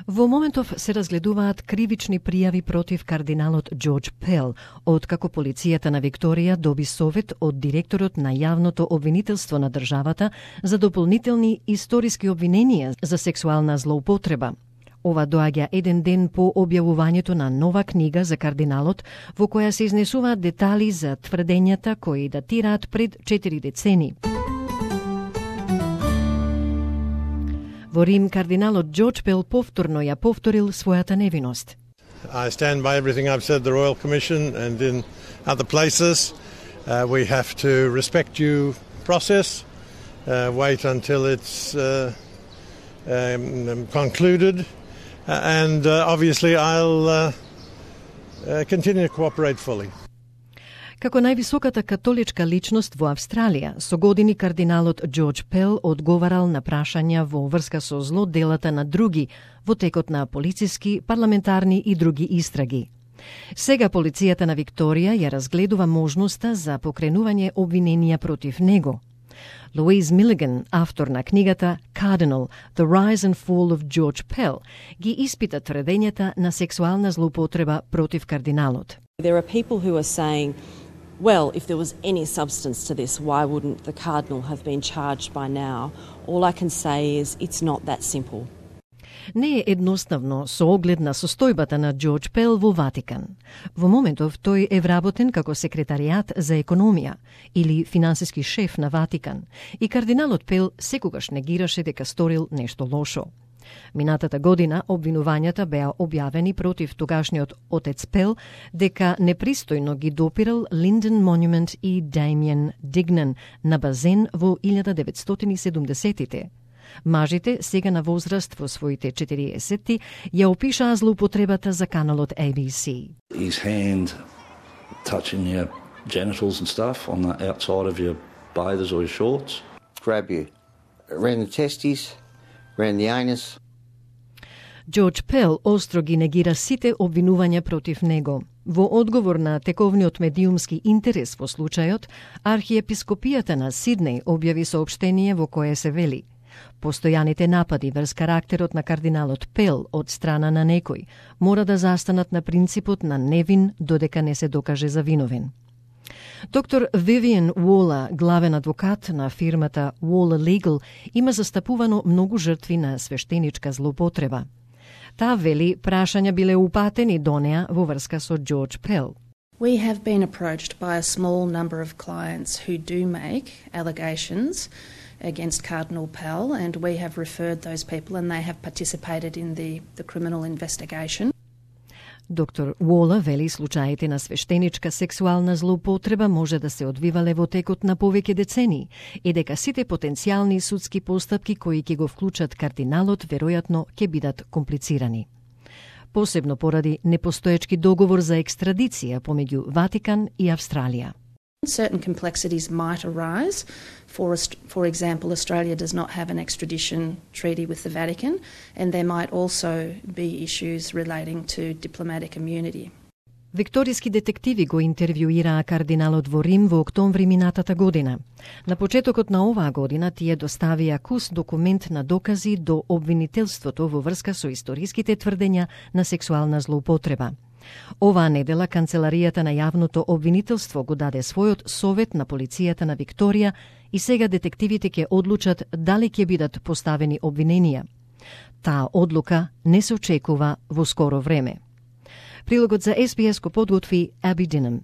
Во моментов се разгледуваат кривични пријави против кардиналот Џорџ Пел, откако полицијата на Викторија доби совет од директорот на јавното обвинителство на државата за дополнителни историски обвиненија за сексуална злоупотреба. Ова доаѓа еден ден по објавувањето на нова книга за кардиналот, во која се изнесуваат детали за тврдењата кои датираат пред 4 децени. Во Рим, кардиналот Џорџ Пел повторно ја повторил својата невиност. I stand by everything I've said at the Royal Commission and in other places. We have to respect due process, wait until it's concluded, and obviously I'll continue to cooperate fully. Како највисоката католичка личност во Австралија, со години кардиналот Џорџ Пел одговарал на прашања во врска со злоделата на други во текот на полициски, парламентарни и други истраги. Сега полицијата на Викторија ја разгледува можноста за покренување обвиненија против него. Louise Milligan, автор на книгата Cardinal, The Rise and Fall of George Pell, ги испита тврдењата на сексуална злоупотреба против кардиналот. There are people who are saying, well, if there was any substance to this, why wouldn't the cardinal have been charged by now? All I can say is it's not that simple. Не е едноставно со оглед на состојбата на Џорџ Пел во Ватикан. Во моментов тој е вработен како секретаријат за економија или финансиски шеф на Ватикан и кардиналот Пел секогаш негираше дека сторил нешто лошо. Минатата година обвинувањата беа објавени против тогашниот отец Пел дека непристојно ги допирал Линден Монумент и Дамиен Дигнан на базен во 1970-тите. Мажите, сега на возраст во своите 40-ти, ја опишаа злоупотребата за каналот ABC. His hand touching your genitals and stuff on the outside of your bathers or your shorts. Grab you around the testes, around the anus. Џорџ Пел остро ги негира сите обвинувања против него. Во одговор на тековниот медиумски интерес во случајот, архиепископијата на Сиднеј објави соопштение во кое се вели: постојаните напади врз карактерот на кардиналот Пел од страна на некој мора да застанат на принципот на невин додека не се докаже за виновен. Доктор Вивиан Уола, главен адвокат на фирмата Уола Legal, има застапувано многу жртви на свештеничка злоупотреба. Таа вели прашања биле упатени до неа во врска со Џорџ Пел. We have been approached by a small number of clients who do make allegations against Cardinal Pell, and we have referred those people and they have participated in the criminal investigation. Доктор Уола вели случаите на свештеничка сексуална злоупотреба може да се одвивале во текот на повеќе децении и дека сите потенцијални судски постапки кои ќе го вклучат кардиналот веројатно ќе бидат комплицирани. Посебно поради непостоечки договор за екстрадиција помеѓу Ватикан и Австралија. Certain complexities might arise. For example, Australia does not have an extradition treaty with the Vatican, and there might also be issues relating to diplomatic immunity. Викториски детективи го интервјуираа кардиналот во Рим во октомври минатата година. На почетокот на оваа година тие доставија кус документ на докази до обвинителството во врска со историските тврдења на сексуална злоупотреба. Оваа недела канцеларијата на јавното обвинителство го даде својот совет на полицијата на Викторија и сега детективите ќе одлучат дали ќе бидат поставени обвиненија. Таа одлука не се очекува во скоро време. Прилогот за SBS го подготви Аби Динам.